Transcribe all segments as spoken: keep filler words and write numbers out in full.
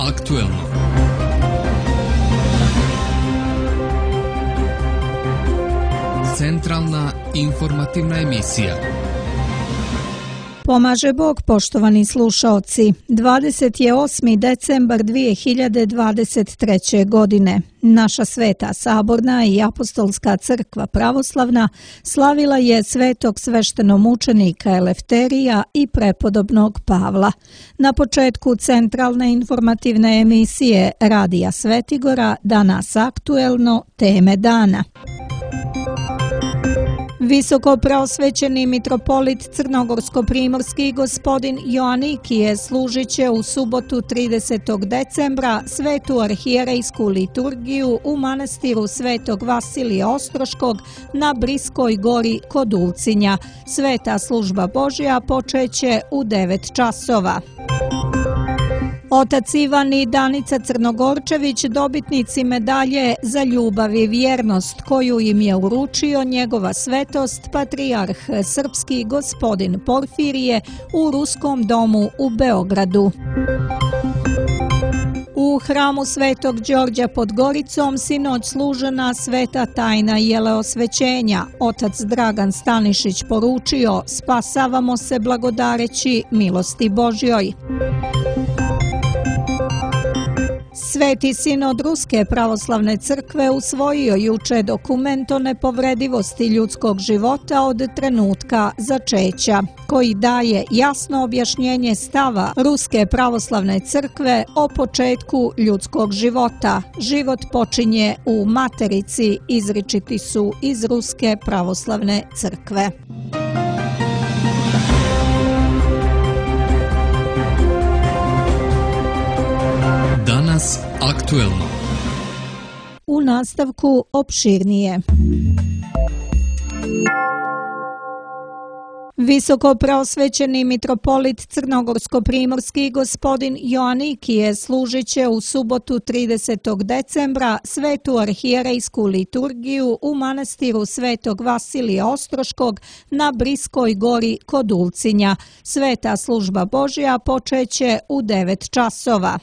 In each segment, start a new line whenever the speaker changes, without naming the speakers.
aktuelno. Centralna informativna emisija.
Pomaže Bog, poštovani slušaoci. dvadeset osmi decembar dvije hiljade dvadeset treće. godine. Naša sveta saborna i apostolska crkva pravoslavna slavila je svetog sveštenomučenika Elefterija i prepodobnog Pavla. Na početku centralne informativne emisije Radija Svetigora danas aktuelno teme dana. Visoko preosvećeni mitropolit crnogorsko-primorski gospodin Joanikije služit će u subotu tridesetog decembra svetu arhijerejsku liturgiju u manastiru svetog Vasilija Ostroškog na Briskoj gori kod Ulcinja. Sveta služba Božja počeće u devet časova. Otac Ivan i Danica Crnogorčević dobitnici medalje za ljubav i vjernost koju im je uručio njegova svetost patrijarh srpski gospodin Porfirije u Ruskom domu u Beogradu. U hramu Svetog Đorđa pod Goricom sinoć služena sveta tajna jeleosvećenja. Otac Dragan Stanišić poručio: spasavamo se blagodareći milosti Božjoj. Sveti sinod Ruske pravoslavne crkve usvojio juče dokument o nepovredivosti ljudskog života od trenutka začeća, koji daje jasno objašnjenje stava Ruske pravoslavne crkve o početku ljudskog života. Život počinje u materici, izričiti su iz Ruske pravoslavne crkve.
Danas aktuelno.
U nastavku opširnije. Visoko preosvećeni mitropolit crnogorsko-primorski gospodin Joanikije služit će u subotu tridesetog decembra svetu arhijerejsku liturgiju u manastiru svetog Vasilija Ostroškog na Briskoj gori kod Ulcinja. Sveta služba Božja počeće u devet časova.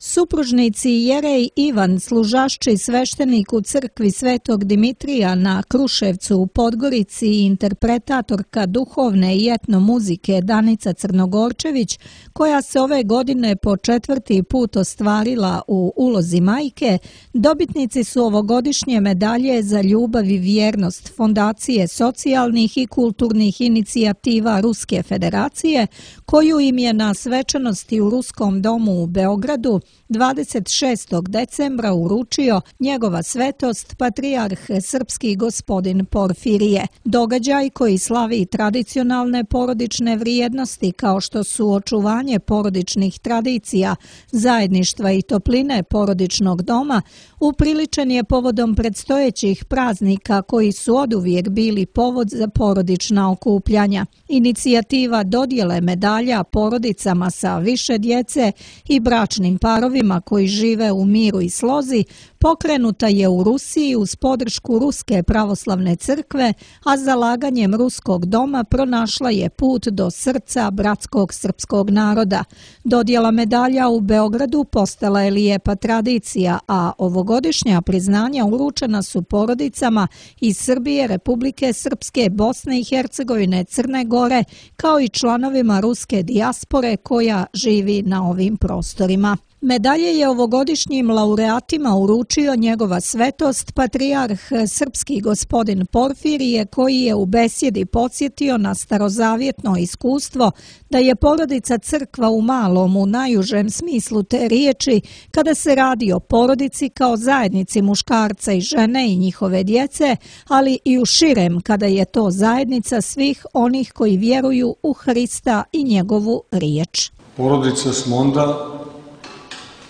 Supružnici Jerej Ivan, služašči sveštenik u crkvi Svetog Dimitrija na Kruševcu u Podgorici i interpretatorka duhovne i etno muzike Danica Crnogorčević, koja se ove godine po četvrti put ostvarila u ulozi majke, dobitnici su ovogodišnje medalje za ljubav i vjernost Fondacije socijalnih i kulturnih inicijativa Ruske federacije, koju im je na svečanosti u Ruskom domu u Beogradu dvadeset šestog decembra uručio njegova svetost patrijarh srpski gospodin Porfirije. Događaj koji slavi tradicionalne porodične vrijednosti kao što su očuvanje porodičnih tradicija, zajedništva i topline porodičnog doma, upriličen je povodom predstojećih praznika koji su oduvijek bili povod za porodična okupljanja. Inicijativa dodjele medalja porodicama sa više djece i bračnim parovima koji žive u miru i slozi pokrenuta je u Rusiji uz podršku Ruske pravoslavne crkve, a zalaganjem Ruskog doma pronašla je put do srca bratskog srpskog naroda. Dodjela medalja u Beogradu postala je lijepa tradicija, a ovogodišnja priznanja uručena su porodicama iz Srbije, Republike Srpske, Bosne i Hercegovine, Crne Gore, kao i članovima ruske dijaspore koja živi na ovim prostorima. Medalje je ovogodišnjim laureatima uručio njegova svetost patrijarh srpski gospodin Porfirije, koji je u besjedi podsjetio na starozavjetno iskustvo da je porodica crkva u malom u najužem smislu te riječi kada se radi o porodici kao zajednici muškarca i žene i njihove djece, ali i u širem kada je to zajednica svih onih koji vjeruju u Hrista i njegovu riječ.
Porodica smo onda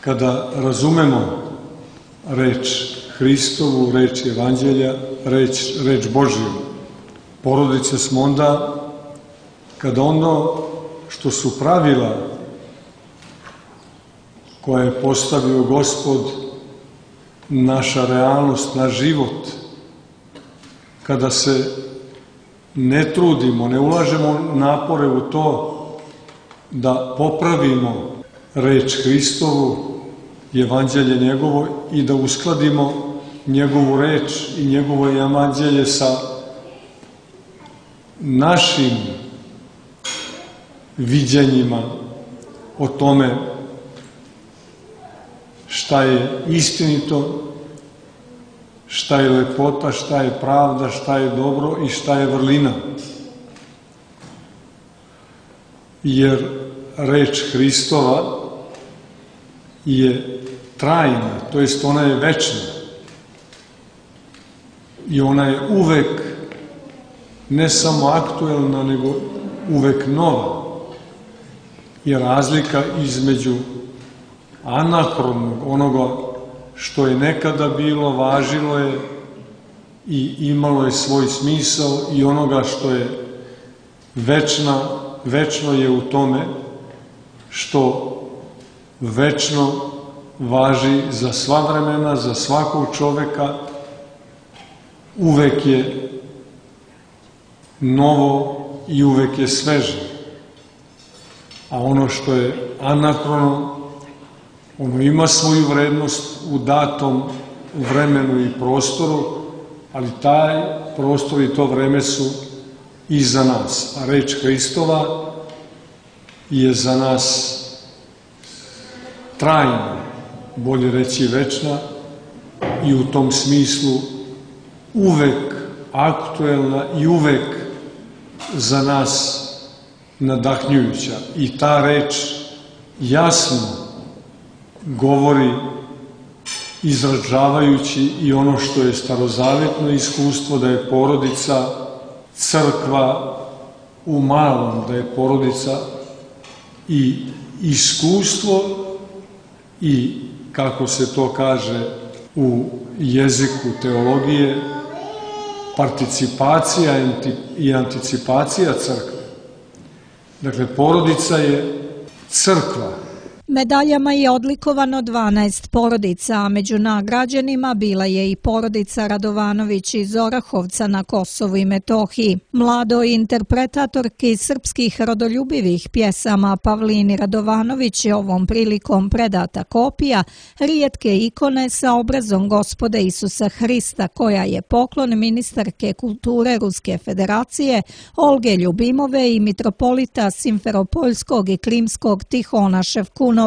kada razumemo reč Hristovu, reč Evanđelja, reč, reč Božiju. Porodice smo onda kada ono što su pravila koje je postavio Gospod, naša realnost, naš život, kada se ne trudimo, ne ulažemo napore u to da popravimo reč Hristovu, evanđelje njegovo i da uskladimo njegovu reč i njegovo evanđelje sa našim viđenjima o tome šta je istinito, šta je lepota, šta je pravda, šta je dobro i šta je vrlina. Jer reč Hristova je trajna, to jest ona je večna. I ona je uvek ne samo aktuelna, nego uvek nova. I razlika između anahronog, onoga što je nekada bilo, važilo je i imalo je svoj smisao, i onoga što je večna, večno je u tome što večno važi za sva vremena, za svakog čoveka, uvek je novo i uvek je sveže. A ono što je anahrono, ono ima svoju vrednost u datom vremenu i prostoru, ali taj prostor i to vreme su i za nas. A reč Hristova je za nas trajna, bolje reći večna, i u tom smislu uvek aktuelna i uvek za nas nadahnjujuća. I ta reč jasno govori, izražavajući i ono što je starozavetno iskustvo, da je porodica crkva u malom, da je porodica i iskustvo i, kako se to kaže u jeziku teologije, participacija i anticipacija crkve. Dakle, porodica je crkva.
Medaljama je odlikovano dvanaest porodica, a među nagrađenima bila je i porodica Radovanović iz Orahovca na Kosovu i Metohiji. Mladoj interpretatorki srpskih rodoljubivih pjesama Pavlini Radovanović je ovom prilikom predata kopija rijetke ikone sa obrazom Gospoda Isusa Hrista, koja je poklon ministarke kulture Ruske federacije Olge Ljubimove i mitropolita Simferopoljskog i Krimskog Tihona Ševkunova,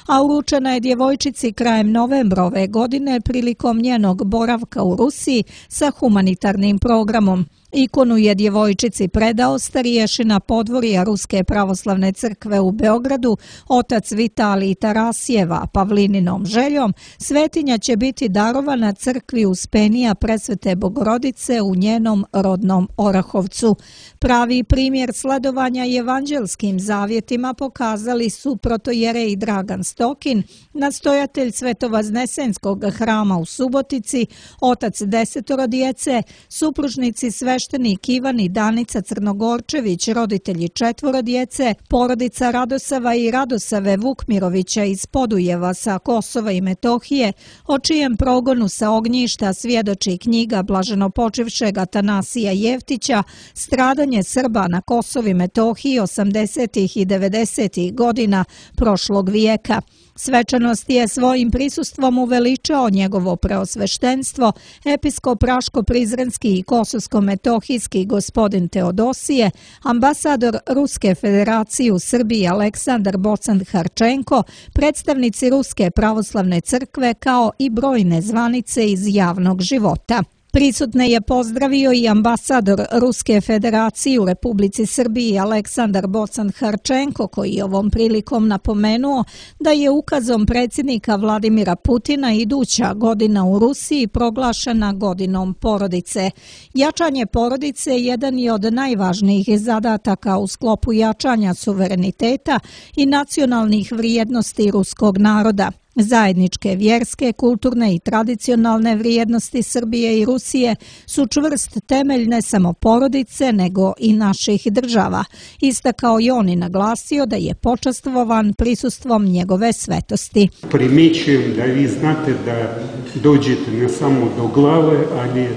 a uručena je djevojčici krajem novembra ove godine prilikom njenog boravka u Rusiji sa humanitarnim programom. Ikonu je djevojčici predao starješina podvorija Ruske pravoslavne crkve u Beogradu, otac Vitalij Tarasjeva. Pavlininom željom svetinja će biti darovana crkvi Uspenija Presvete Bogorodice u njenom rodnom Orahovcu. Pravi primjer sledovanja evanđelskim zavjetima pokazali su protojerej Dragan Stokin, nastojatelj Svetovaznesenskog hrama u Subotici, otac desetoro djece, supružnici sveštenik Ivan i Danica Crnogorčević, roditelji četvoro djece, porodica Radosava i Radosave Vukmirovića iz Podujeva sa Kosova i Metohije, o čijem progonu sa ognjišta svjedoči knjiga blaženopočivšeg Atanasija Jevtića Stradanje Srba na Kosovu i Metohiji osamdesetih i devedesetih godina prošlog vijeka. Svečanost je svojim prisustvom uveličao njegovo preosveštenstvo, episkop Raško-Prizrenski i Kosovsko-Metohijski gospodin Teodosije, ambasador Ruske federacije u Srbiji Aleksandar Bocan-Harčenko, predstavnici Ruske pravoslavne crkve kao i brojne zvanice iz javnog života. Prisutne je pozdravio i ambasador Ruske federacije u Republici Srbiji Aleksandar Bocan-Harčenko, koji je ovom prilikom napomenuo da je ukazom predsjednika Vladimira Putina iduća godina u Rusiji proglašena godinom porodice. Jačanje porodice jedan je od najvažnijih zadataka u sklopu jačanja suvereniteta i nacionalnih vrijednosti ruskog naroda. Zajedničke vjerske, kulturne i tradicionalne vrijednosti Srbije i Rusije su čvrst temelj ne samo porodice, nego i naših država. Istakao je on i naglasio da je počastvovan prisustvom njegove svetosti.
Primjećujem da vi znate da dođete ne samo do glave, ali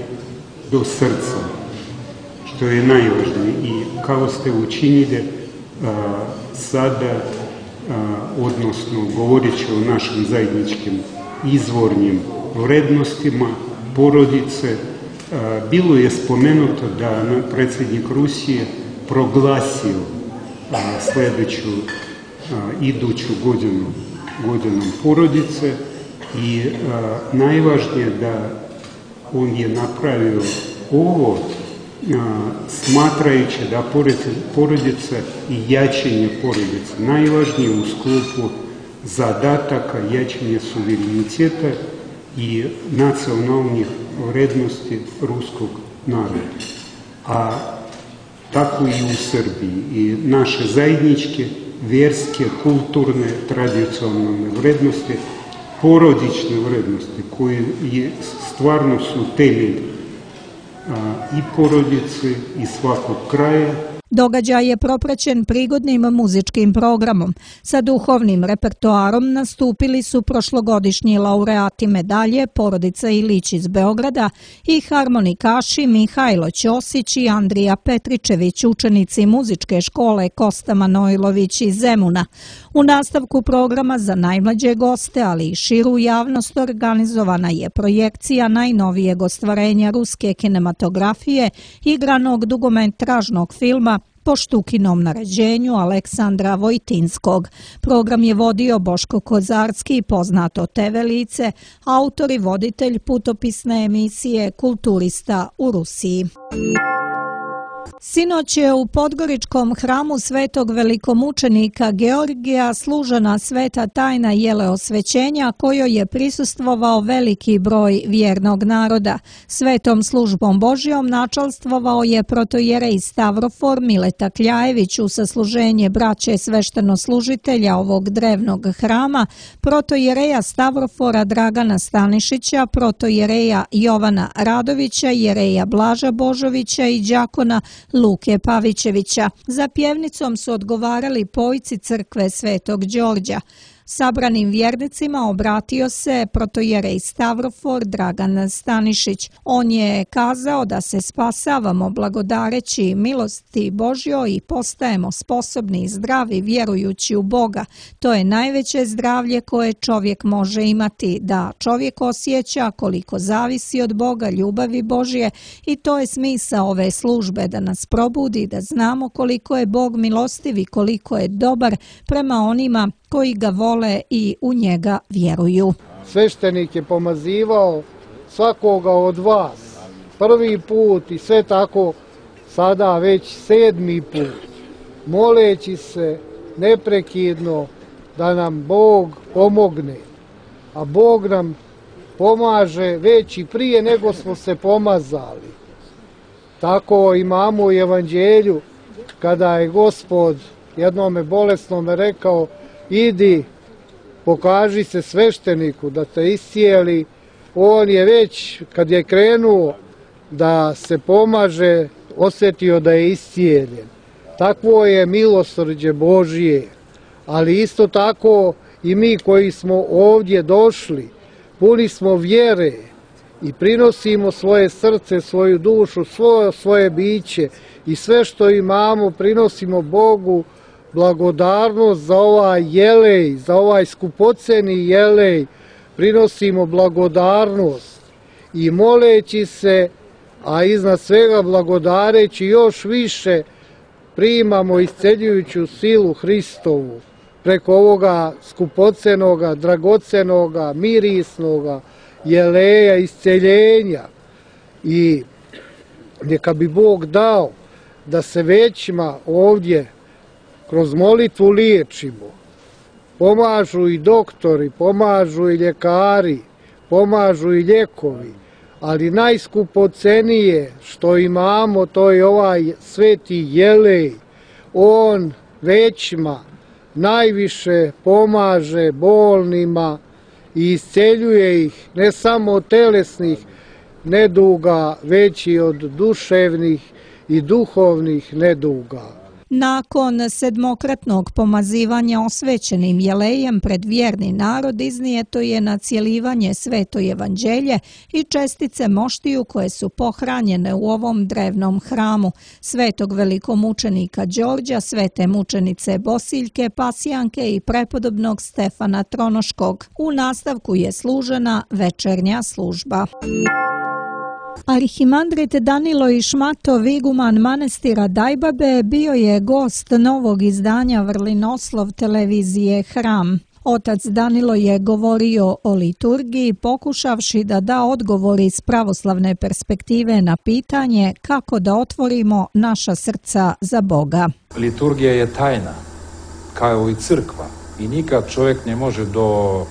do srca, što je najvažnije. I kao ste učinili a, sada odnosno govorit će o našim zajedničkim izvornim vrednostima porodice. Bilo je spomenuto da predsjednik Rusije proglasio sljedeću iduću godinu godinom porodice i najvažnije da on je napravio ovo smatrajući da porodica i jačanje porodice najvažnije u sklopu zadataka jačanja suvereniteta i nacionalnih vrednosti ruskog naroda. A tako i u Srbiji. I naše zajedničke, vjerske, kulturne, tradicionalne vrednosti, porodične vrednosti koje stvarno su temelj i porodice i svakog kraja.
Događaj je propraćen prigodnim muzičkim programom. Sa duhovnim repertoarom nastupili su prošlogodišnji laureati medalje Porodica Ilić iz Beograda i harmonikaši Mihajlo Ćosić i Andrija Petričević, učenici muzičke škole Kosta Manojlović iz Zemuna. U nastavku programa za najmlađe goste, ali i širu javnost, organizovana je projekcija najnovijeg ostvarenja ruske kinematografije, igranog dugometražnog filma po Štukinom naređenju Aleksandra Vojtinskog. Program je vodio Boško Kozarski, poznato te ve lice, autor i voditelj putopisne emisije Kulturista u Rusiji. Sinoć je u Podgoričkom hramu svetog velikomučenika Georgija služena sveta tajna jeleosvećenja kojoj je prisustvovao veliki broj vjernog naroda. Svetom službom Božjom načalstvovao je protojerej Stavrofor Mileta Kljajević u sasluženje braće sveštenoslužitelja ovog drevnog hrama, protojereja Stavrofora Dragana Stanišića, protojereja Jovana Radovića, jereja Blaža Božovića i đakona Luke Pavićevića. Za pjevnicom su odgovarali pojci crkve Svetog Đorđa. Sabranim vjernicima obratio se protojerej Stavrofor Dragan Stanišić. On je kazao da se spasavamo blagodareći milosti Božjoj i postajemo sposobni i zdravi vjerujući u Boga. To je najveće zdravlje koje čovjek može imati, da čovjek osjeća koliko zavisi od Boga, ljubavi Božje, i to je smisao ove službe, da nas probudi, da znamo koliko je Bog milostiv i koliko je dobar prema onima koji ga vole i u njega vjeruju.
Sveštenik je pomazivao svakoga od vas prvi put i sve tako sada već sedmi put, moleći se neprekidno da nam Bog pomogne. A Bog nam pomaže već i prije nego smo se pomazali. Tako imamo u Evanđelju kada je Gospod jednome bolesnome rekao: idi, pokaži se svešteniku da te iscijeli. On je već, kad je krenuo da se pomaže, osjetio da je iscijeljen. Takvo je milosrđe Božije. Ali isto tako i mi koji smo ovdje došli, puni smo vjere i prinosimo svoje srce, svoju dušu, svoje, svoje biće i sve što imamo prinosimo Bogu, blagodarnost za ovaj jelej, za ovaj skupoceni jelej, prinosimo blagodarnost i moleći se, a iznad svega blagodareći još više, primamo isceljujuću silu Hristovu preko ovoga skupocenoga, dragocenoga, mirisnoga jeleja isceljenja. I neka bi Bog dao da se većima ovdje kroz molitvu liječimo. Pomažu i doktori, pomažu i ljekari, pomažu i lijekovi, ali najskupocenije što imamo to je ovaj sveti jelej. On većima najviše pomaže bolnima i isceljuje ih ne samo od telesnih neduga, već i od duševnih i duhovnih neduga.
Nakon sedmokratnog pomazivanja osvećenim jelejem pred vjerni narod iznijeto je na cjelivanje sveto evanđelje i čestice moštiju koje su pohranjene u ovom drevnom hramu svetog velikomučenika Đorđa, svete mučenice Bosiljke, Pasijanke i prepodobnog Stefana Tronoškog. U nastavku je služena večernja služba. Arhimandrit Danilo Išmatov, iguman manastira Dajbabe, bio je gost novog izdanja Vrlinoslov televizije Hram. Otac Danilo je govorio o liturgiji, pokušavši da da odgovor iz pravoslavne perspektive na pitanje kako da otvorimo naša srca za Boga.
Liturgija je tajna, kao i crkva, i nikad čovjek ne može do,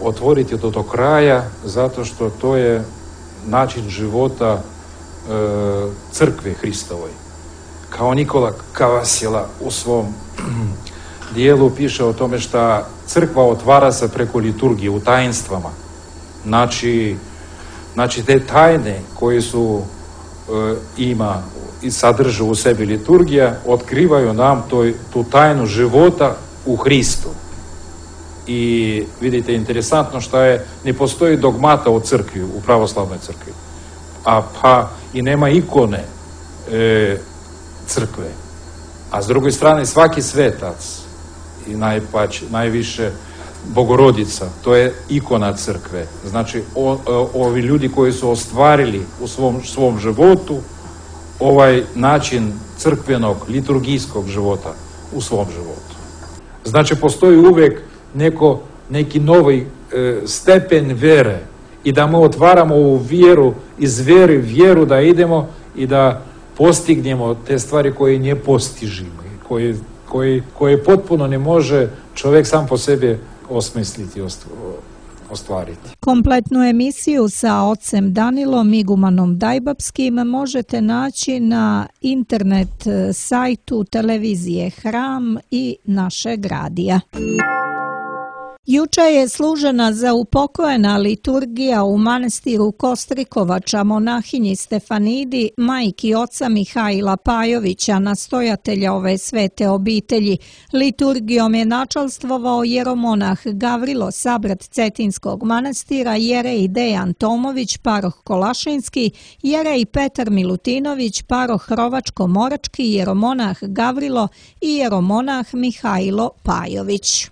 otvoriti do, do kraja, zato što to je način života e, crkve Hristovoj. Kao Nikola Kavasila u svom dijelu piše o tome što crkva otvara se preko liturgije u tajnstvama. Znači, znači te tajne koje su e, ima i sadrže u sebi liturgija, otkrivaju nam toj, tu tajnu života u Hristu. I vidite, interesantno što je, ne postoji dogmata u crkvi, u pravoslavnoj crkvi, a pa i nema ikone e, crkve. A s druge strane, svaki svetac i najpać, najviše Bogorodica, to je ikona crkve. Znači, o, o, ovi ljudi koji su ostvarili u svom, svom životu ovaj način crkvenog, liturgijskog života u svom životu. Znači, postoji uvijek neko, neki novi e, stepen vere i da mi otvaramo ovu vjeru, iz vjere vjeru da idemo i da postignemo te stvari koje ne postižimo, koje, koje, koje potpuno ne može čovjek sam po sebi osmisliti i ostvariti.
Kompletnu emisiju sa ocem Danilom, igumanom Dajbapskim, možete naći na internet sajtu televizije Hram i našeg radija. Juče je služena za upokojena liturgija u manastiru Kostrikovača monahinji Stefanidi, majki oca Mihajla Pajovića, nastojatelja ove svete obitelji. Liturgijom je načalstvovao jeromonah Gavrilo, sabrat Cetinskog manastira, jerej Dejan Tomović, paroh Kolašinski, jerej Petar Milutinović, paroh Rovačko-Morački, jeromonah Gavrilo i jeromonah Mihajlo Pajović.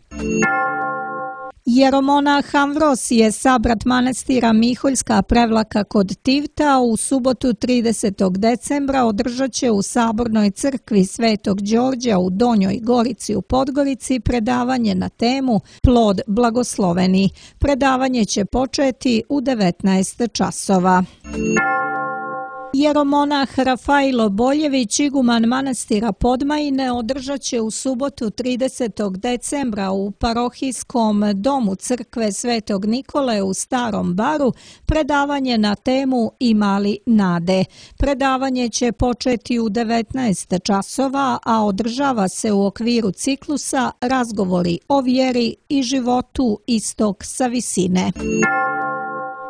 Jeromonah Amvrosije, sabrat manastira Miholjska Prevlaka kod Tivta, u subotu tridesetog decembra održat će u Sabornoj crkvi Svetog Đorđa u Donjoj Gorici u Podgorici predavanje na temu Plod blagosloveni. Predavanje će početi u devetnaest časova. Jeromonah Rafailo Boljević, iguman manastira Podmajine, održat će u subotu tridesetog decembra u parohijskom domu crkve Svetog Nikole u Starom Baru predavanje na temu Ima li nade. Predavanje će početi u devetnaest časova, a održava se u okviru ciklusa Razgovori o vjeri i životu istok sa visine.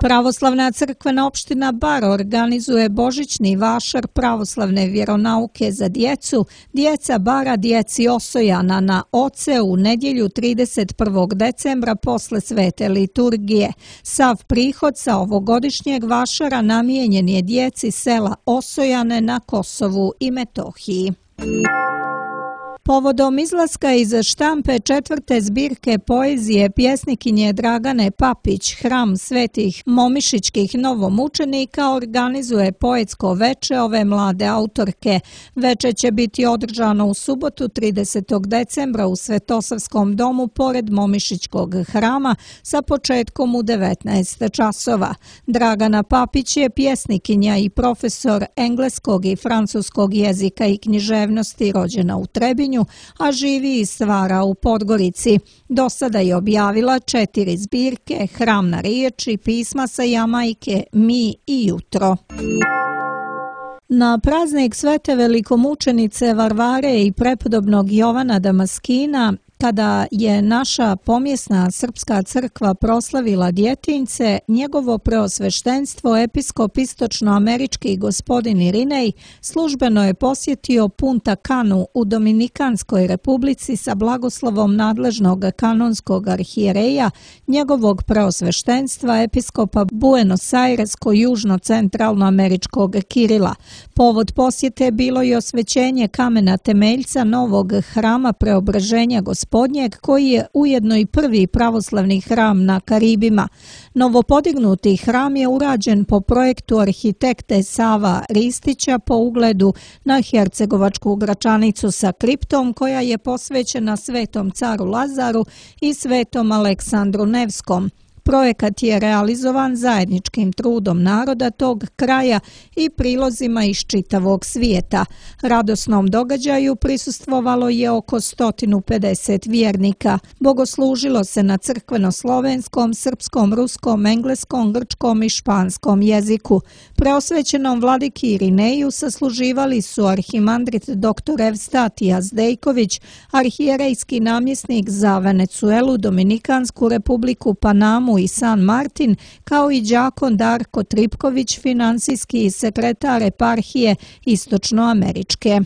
Pravoslavna crkvena opština Bar organizuje božićni vašar pravoslavne vjeronauke za djecu, djeca Bara djeci Osojana na Oce u nedjelju trideset prvog decembra posle svete liturgije. Sav prihod sa ovogodišnjeg vašara namijenjen je djeci sela Osojane na Kosovu i Metohiji. Povodom izlaska iz štampe četvrte zbirke poezije pjesnikinje Dragane Papić, Hram svetih momišićkih novomučenika organizuje poetsko veče ove mlade autorke. Veče će biti održano u subotu tridesetog decembra u Svetosavskom domu pored Momišićkog hrama sa početkom u devetnaest časova. Dragana Papić je pjesnikinja i profesor engleskog i francuskog jezika i književnosti, rođena u Trebinju, a živi i stvara u Podgorici. Do sada je objavila četiri zbirke, Hram na riječi, pisma sa Jamajke, Mi i jutro. Na praznik svete velikomučenice Varvare i prepodobnog Jovana Damaskina Kada je naša pomjesna srpska crkva proslavila djetinjce, njegovo preosveštenstvo episkop istočnoamerički gospodin Irinej službeno je posjetio Punta Canu u Dominikanskoj republici sa blagoslovom nadležnog kanonskog arhijereja, njegovog preosveštenstva episkopa Buenos Aires-južno-centralnoameričkog Kirila. Povod posjete bilo je osvećenje kamena temeljca novog hrama Preobraženja Gospodnjeg, koji je ujedno i prvi pravoslavni hram na Karibima. Novopodignuti hram je urađen po projektu arhitekte Sava Ristića po ugledu na hercegovačku Gračanicu sa kriptom, koja je posvećena Svetom caru Lazaru i Svetom Aleksandru Nevskom. Projekat je realizovan zajedničkim trudom naroda tog kraja i prilozima iz čitavog svijeta. Radosnom događaju prisustvovalo je oko sto pedeset vjernika. Bogoslužilo se na crkveno-slovenskom, srpskom, ruskom, engleskom, grčkom i španskom jeziku. Preosvećenom vladiki Irineju sasluživali su arhimandrit dr. Evstatija Zdejković, arhijerejski namjesnik za Venecuelu, Dominikansku republiku, Panamu i San Martin, kao i đakon Darko Tripković, finansijski sekretar eparhije Istočnoameričke.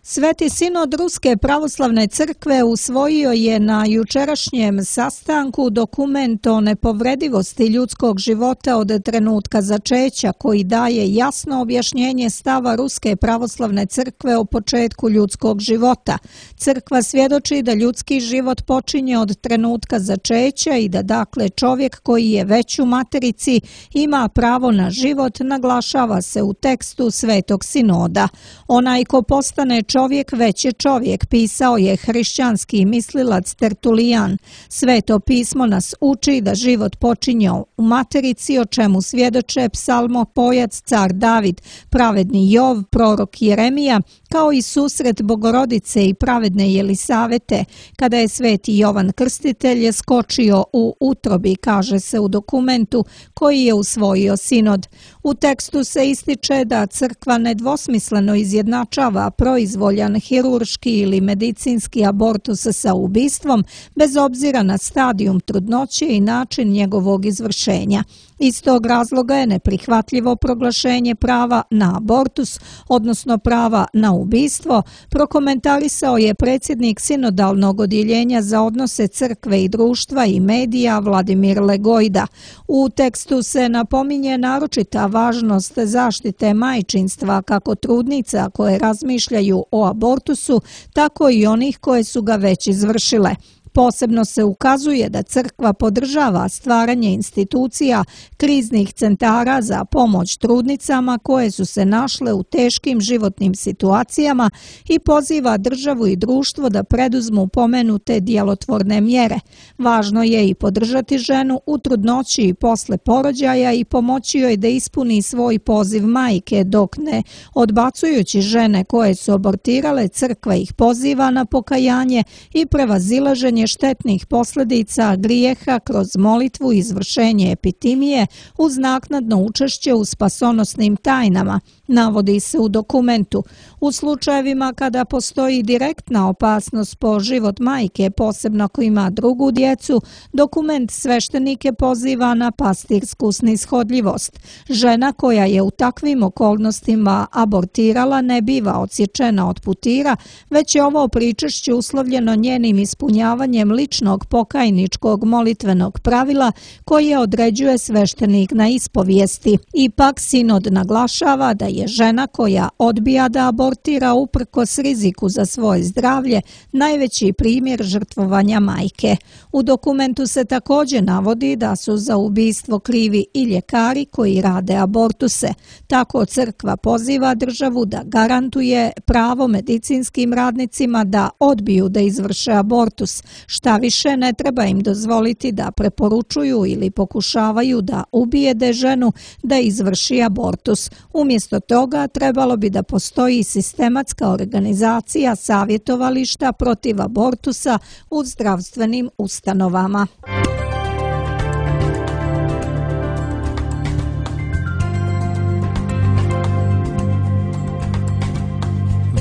Sveti sinod Ruske pravoslavne crkve usvojio je na jučerašnjem sastanku dokument o nepovredivosti ljudskog života od trenutka začeća, koji daje jasno objašnjenje stava Ruske pravoslavne crkve o početku ljudskog života. Crkva svjedoči da ljudski život počinje od trenutka začeća i da dakle čovjek koji je već u materici ima pravo na život, naglašava se u tekstu Svetog sinoda. Onaj ko postane čovjek već je čovjek, pisao je hrišćanski mislilac Tertulijan. Sveto pismo nas uči da život počinje u materici, o čemu svjedoče psalmopojac car David, pravedni Jov, prorok Jeremija, kao i susret Bogorodice i pravedne Jelisavete, kada je sveti Jovan Krstitelj skočio u utrobi, kaže se u dokumentu koji je usvojio sinod. U tekstu se ističe da crkva nedvosmisleno izjednačava proizvoljan hirurški ili medicinski abortus sa ubistvom, bez obzira na stadijum trudnoće i način njegovog izvršenja. Iz tog razloga je neprihvatljivo proglašenje prava na abortus, odnosno prava na ubistvo, prokomentarisao je predsjednik sinodalnog odjeljenja za odnose crkve i društva i medija Vladimir Legojda. U tekstu se napominje naročita važnost zaštite majčinstva kako trudnica koje razmišljaju o abortusu, tako i onih koje su ga već izvršile. Posebno se ukazuje da crkva podržava stvaranje institucija kriznih centara za pomoć trudnicama koje su se našle u teškim životnim situacijama i poziva državu i društvo da preduzmu pomenute djelotvorne mjere. Važno je i podržati ženu u trudnoći i posle porođaja i pomoći joj da ispuni svoj poziv majke, dok ne odbacujući žene koje su abortirale, crkva ih poziva na pokajanje i prevazilaženje štetnih posljedica grijeha kroz molitvu i izvršenje epitimije uz naknadno učešće u spasonosnim tajnama, navodi se u dokumentu. U slučajevima kada postoji direktna opasnost po život majke, posebno ako ima drugu djecu, dokument sveštenike poziva na pastirsku snishodljivost. Žena koja je u takvim okolnostima abortirala ne biva odsječena od putira, već je ovo pričešće uslovljeno njenim ispunjavanjem ličnog pokajničkog molitvenog pravila koje određuje sveštenik na ispovijesti. Ipak sinod naglašava da je žena koja odbija da abortira uprkos riziku za svoje zdravlje najveći primjer žrtvovanja majke. U dokumentu se također navodi da su za ubistvo krivi i ljekari koji rade abortuse. Tako crkva poziva državu da garantuje pravo medicinskim radnicima da odbiju da izvrše abortus. Šta više, ne treba im dozvoliti da preporučuju ili pokušavaju da ubijede ženu da izvrši abortus. Umjesto toga trebalo bi da postoji sistematska organizacija savjetovališta protiv abortusa u zdravstvenim ustanovama.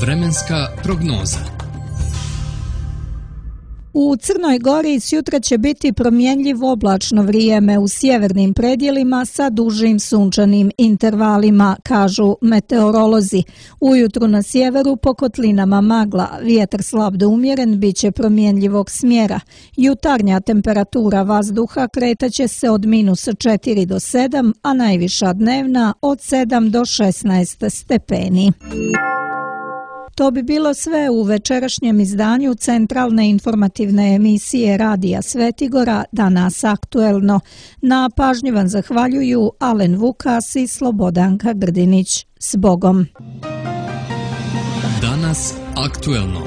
Vremenska prognoza.
U Crnoj Gori sjutra će biti promjenjivo oblačno vrijeme u sjevernim predjelima sa dužim sunčanim intervalima, kažu meteorolozi. Ujutru na sjeveru po kotlinama magla, vjetar slab do umjeren biće promjenjivog smjera. Jutarnja temperatura vazduha kretaće se od minus četiri do sedam, a najviša dnevna od sedam do šesnaest stepeni. To bi bilo sve u večerašnjem izdanju centralne informativne emisije Radija Svetigora, Danas aktuelno. Na pažnji vam zahvaljuju Alen Vukas i Slobodanka Grdinić. S Bogom!
Danas aktuelno.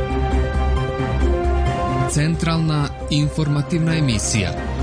Centralna informativna emisija.